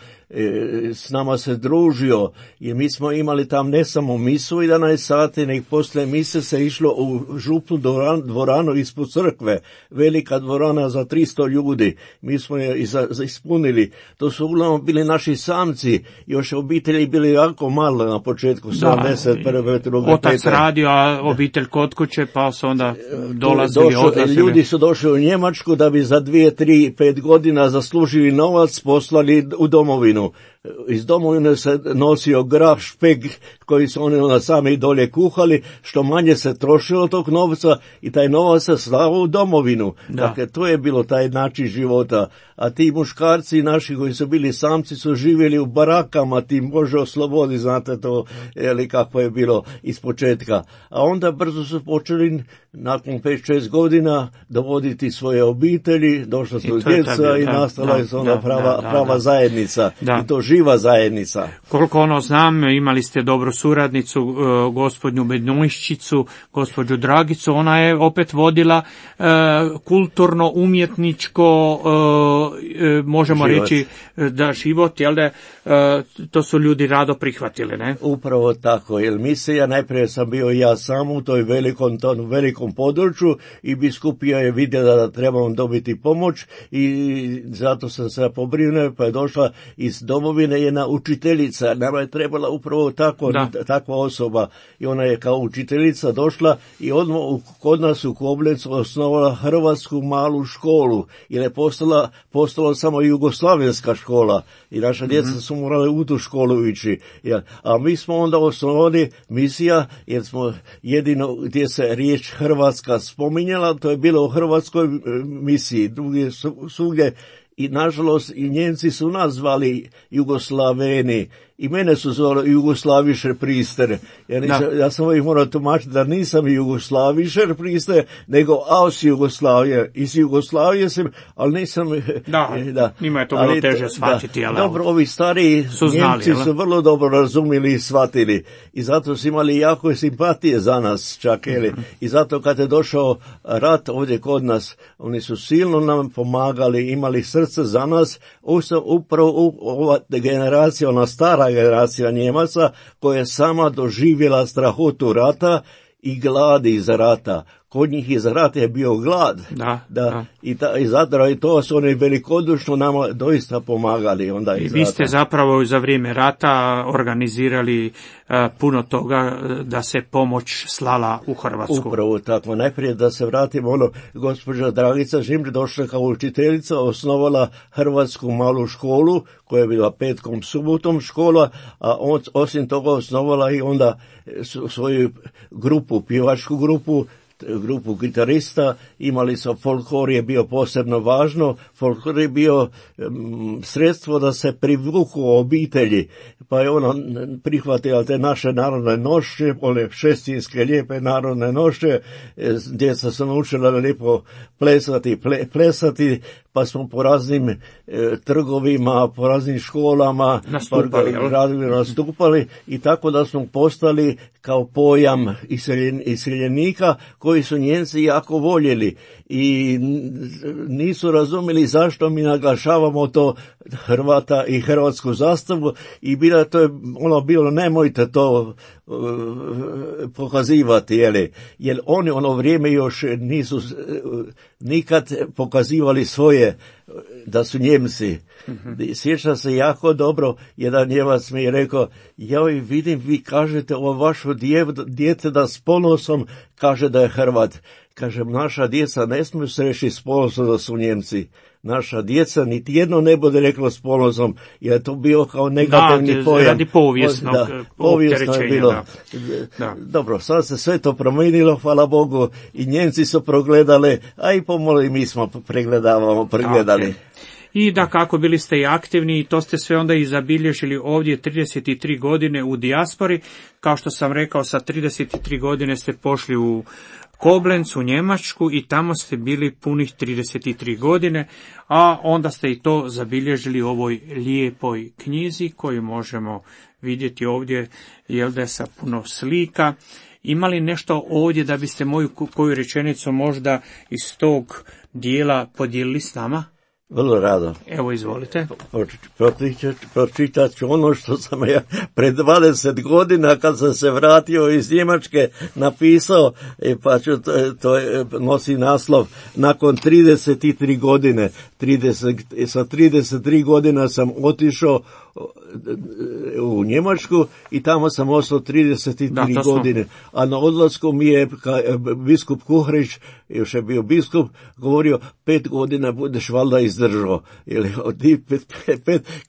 s nama se družio, i mi smo imali tam ne samo misu 11 sati, nego poslije mise se išlo u župnu dvoranu ispod crkve, velika dvorana za 300 ljudi, mi smo je ispunili. To su uglavnom bili naši samci, još obitelji bili jako malo na početku, 71. druge, otac radio, a obitelj kod kuće, pa su onda dolazili, odlazili. Ljudi su došli u Njemačku da bi za 2, 3, 5 godina zaslužili novac, poslali u domovinu. Iz domovine se nosio grah, špeg, koji su oni onda sami dolje kuhali, što manje se trošilo tog novca i taj novac se slao u domovinu. Da. Dakle, to je bilo taj način života. A ti muškarci naši koji su bili samci su živjeli u barakama, ti može oslobodi, znate to, kako je bilo iz početka. A onda brzo su počeli, nakon 5-6 godina, dovoditi svoje obitelji, došla su djeca i nastala je ona prava zajednica. Da. I to živa zajednica. Koliko ono znam, imali ste dobru suradnicu, gospođu Bednojščicu, gospođu Dragicu, ona je opet vodila kulturno, umjetničko, možemo život. Reći da život, jel da, to su ljudi rado prihvatili, ne? Upravo tako, jer misija, najprije sam bio ja sam u toj velikom području i biskupija je vidjela da trebam dobiti pomoć i zato sam se pobrinuo, pa je došla iz domovine jedna učiteljica, nama je trebala upravo takva osoba i ona je kao učiteljica došla i odmah kod nas u Koblencu osnovala hrvatsku malu školu, jer je postala samo jugoslavenska škola i naša djeca su morali u tu školu ići. A mi smo onda osnovali misija, jer smo jedino gdje se riječ Hrvatska spominjala, to je bilo u hrvatskoj misiji, drugdje svugdje. I nažalost i Njemci su nas zvali Jugoslaveni i mene su zvali Jugoslavišer prister. Ja sam ih morao tumačiti da nisam Jugoslavišer prister, nego aus Jugoslavije. Iz Jugoslavije sam, ali nisam... Njima je to bilo teže shvatiti. Dobro, ovi stariji Njemci su vrlo dobro razumili i shvatili. I zato su imali jako simpatije za nas čak. I zato kad je došao rat ovdje kod nas, oni su silno nam pomagali, imali srce za nas. Upravo ova generacija, ona stara generacija Njemaca koja je sama doživjela strahotu rata i gladi iz rata, kod njih iz rata je bio glad. Da. I zato i to su oni velikodušno nama doista pomagali. Onda I vi ste zapravo za vrijeme rata organizirali puno toga da se pomoć slala u Hrvatsku. Upravo tako. Najprije da se vratimo, gospođa Dragica Žimri došla kao učiteljica, osnovala Hrvatsku malu školu, koja je bila petkom, subotom škola, a osim toga osnovala i onda svoju grupu, pjevačku grupu gitarista, imali su folklor, je bio posebno važno, folklor je bio sredstvo da se privuku obitelji, pa je ona prihvatila te naše narodne nošnje, one šestinske lijepe narodne nošnje, djeca su naučila lijepo plesati, pa smo po raznim trgovima, po raznim školama nastupali i tako da smo postali kao pojam iseljenika koji su Nijemci jako voljeli i nisu razumjeli zašto mi naglašavamo to Hrvata i hrvatsku zastavu i to je bilo nemojte to pokazivati, jer oni ono vrijeme još nisu nikad pokazivali svoje da su Njemci. Sjećam se jako dobro, jedan Njemac mi je rekao, vidim, vi kažete o vašu djete da s ponosom kaže da je Hrvat. Kažem, naša djeca ne smiju se reći s ponosom da su Njemci. Naša djeca niti jedno ne bude reklo s ponosom, jer je to bio kao negativni pojam. Radi povijesnog povijesno je bilo. Da. Dobro, sad se sve to promijenilo, hvala Bogu, i Njemci su progledali, a i pomalo i mi smo pregledali. Okay. I da kako bili ste i aktivni i to ste sve onda i zabilježili ovdje 33 godine u dijaspori. Kao što sam rekao, sa 33 godine ste pošli u Koblenz u Njemačku i tamo ste bili punih 33 godine, a onda ste i to zabilježili u ovoj lijepoj knjizi koju možemo vidjeti ovdje, da sa puno slika. Ima li nešto ovdje da biste moju koju rečenicu možda iz tog dijela podijelili s nama? Vrlo rado. Evo, izvolite. Pročitat ću ono što sam ja pred 20 godina kad sam se vratio iz Njemačke napisao, pa ću, to nosi naslov nakon 33 godine. Sa 33 godina sam otišao u Njemačku i tamo sam ostao 33 godine. A na odlasku mi je biskup Kuhrić, još je bio biskup, govorio 5 godina budeš valjda izdržao.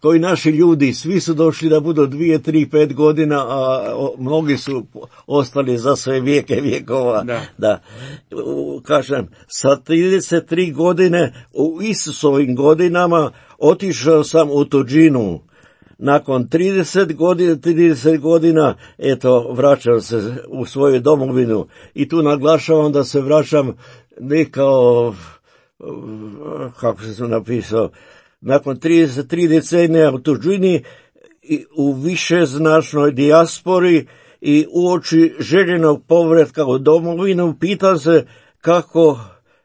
Koji naši ljudi, svi su došli da budu 2, 3, 5 godina, a mnogi su ostali za sve vijeke vjekova. Da. Kažem, sa 33 godine, u Isusovim godinama, otišao sam u tuđinu. Nakon 30 godina, vraćam se u svoju domovinu i tu naglašavam da se vraćam ne kao, kako se napisao, nakon 33 decenija u tuđini i u višeznačnoj dijaspori i uoči željenog povratka u domovinu, pitam se kako,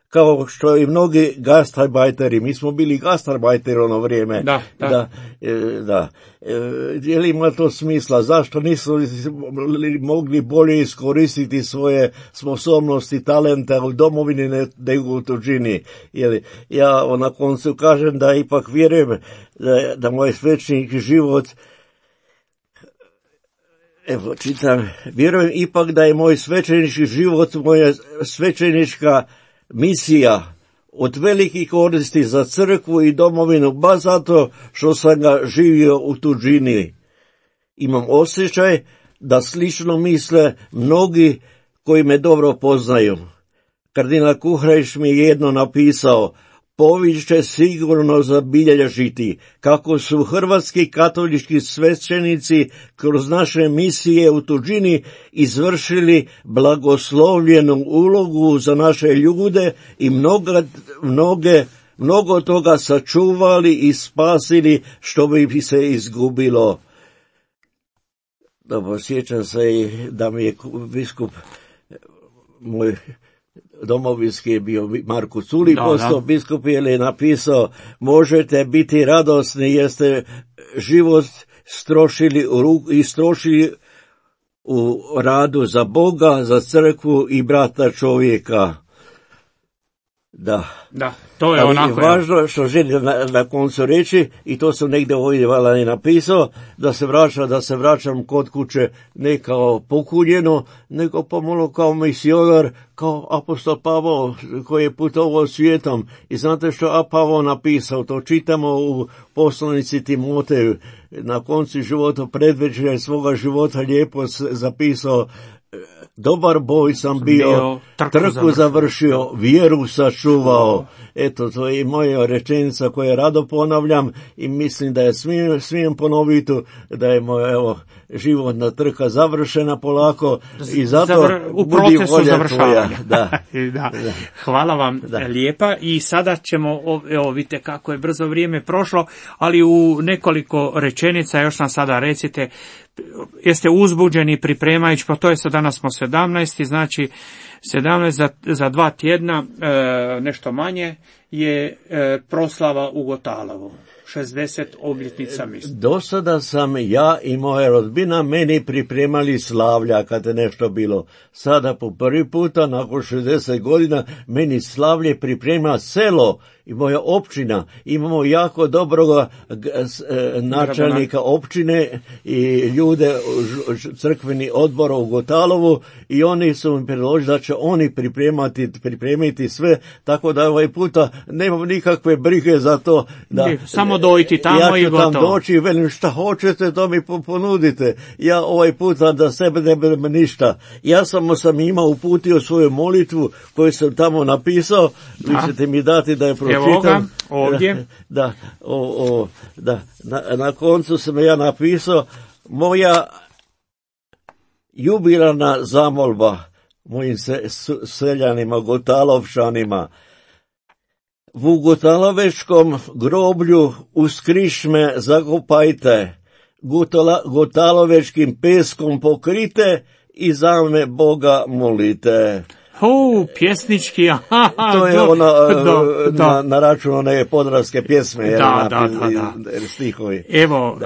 kao što i mnogi gastarbajteri, mi smo bili gastarbajteri ono vrijeme. Da. Je li ima to smisla? Zašto nisu mogli bolje iskoristiti svoje sposobnosti, talenta u domovini nego u tuđini? Ja na koncu kažem da ipak vjerujem da moj svećenik život, vjerujem ipak da je moj svećenički život, moja svećenička misija od velikih koristi za crkvu i domovinu, baš zato što sam ga živio u tuđini. Imam osjećaj da slično misle mnogi koji me dobro poznaju. Kardinal Kuhrić mi je jedno napisao, povijest će sigurno zabilježiti kako su hrvatski katolički svećenici kroz naše misije u tuđini izvršili blagoslovljenu ulogu za naše ljude i mnogo toga sačuvali i spasili što bi se izgubilo. Dobro, sjećam se i da mi je biskup moj domovinski je bio Marko Culi, postao biskup, je napisao, možete biti radosni jer ste život istrošili u radu za Boga, za crkvu i brata čovjeka. Da, to je ali onako. Važno što želim na koncu reći, i to sam negdje ovdje valjda i napisao, da se vraćam kod kuće ne kao pokunjeno, nego pomalo kao misionar, kao apostol Pavao koji je putovao svijetom. I znate što Pavao napisao, to čitamo u poslanici Timoteju, na koncu života, predvečerja svoga života lijepo zapisao: dobar boj sam bio, trku završio, vjeru sačuvao. Eto, to je i moja rečenica koju rado ponavljam i mislim da je smijem ponoviti, da je moja životna trka završena polako i zato u budi procesu volja završavanja. tvoja. Da. Hvala vam lijepa i sada ćemo, vidite kako je brzo vrijeme prošlo, ali u nekoliko rečenica još nam sada recite, jeste uzbuđeni pripremajući, pa to je sad, danas smo 17, znači 17 za 2 tjedna, nešto manje, je proslava u Gotalovu. 60 obljetnica mislim. Do sada sam ja i moja rodbina meni pripremali slavlja kad je nešto bilo. Sada po prvi puta, nakon 60 godina, meni slavlje priprema selo i moja općina. Imamo jako dobroga načelnika općine i ljude crkveni odbor u Gotalovu i oni su mi predložili da će oni pripremiti sve, tako da ovaj puta nemam nikakve brige za to. Samo dojti tamo i gotovo. Ja ću tam doći i velim šta hoćete, to mi ponudite. Ja ovaj puta da sebe ne budem ništa. Ja samo sam imao uputio svoju molitvu koju sam tamo napisao. Vi ćete mi dati da je pročitam. Evo ga, ovdje. Na koncu sam ja napisao: moja jubilarna zamolba mojim seljanima, Gotalovčanima. U Gotalovečkom groblju uz krišme zakopajte, Gotalovečkim peskom pokrite i za me Boga molite. Pjesnički, to je na račun one podravske pjesme, stihovi. Evo,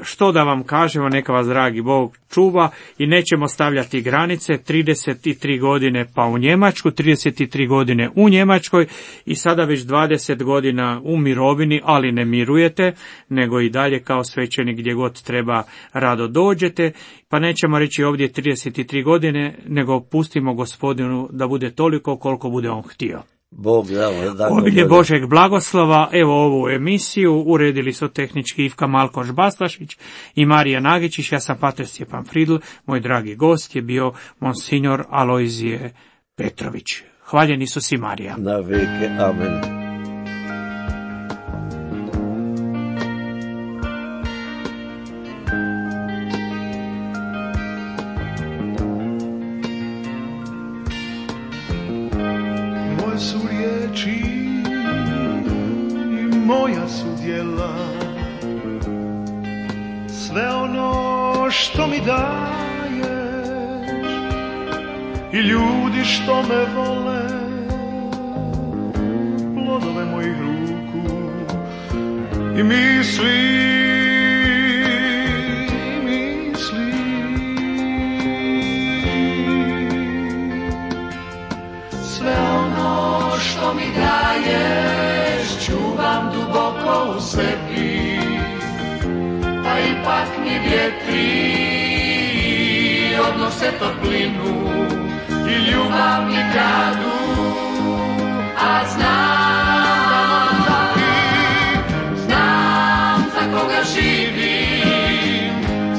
što da vam kažemo, neka vas dragi Bog čuva i nećemo stavljati granice. 33 godine pa u Njemačku, 33 godine u Njemačkoj i sada već 20 godina u mirovini, ali ne mirujete, nego i dalje kao svećenik gdje god treba rado dođete, pa nećemo reći ovdje 33 godine, nego pustimo Gospodinu da bude toliko koliko bude on htio. Obilje Božeg blagoslova. Evo ovu emisiju uredili su tehnički Ivka Malkoš Bastašić i Marija Nagičić. Ja sam pater Stjepan Fridl. Moj dragi gost je bio monsignor Alojzije Petrović. Hvaljen Isus i Marija. Na veke, amen. Su riječi i moja su djela, sve ono što mi daješ i ljudi što me vole, plodove mojih ruku i misli. Što mi daješ, čuvam duboko u sebi, pa ipak mi vjetri odnose toplinu i ljubav mi kradu, a znam za koga živim,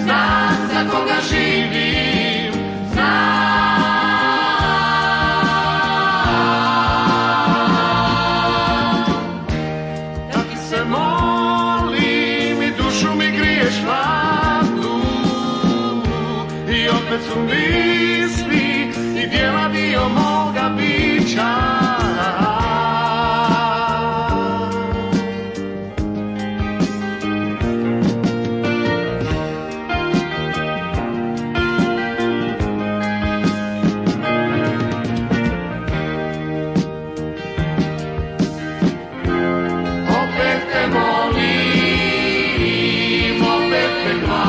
znam za koga živim, znam. Su misli i djela dio moga bića. Opet te molim, opet te hvalim.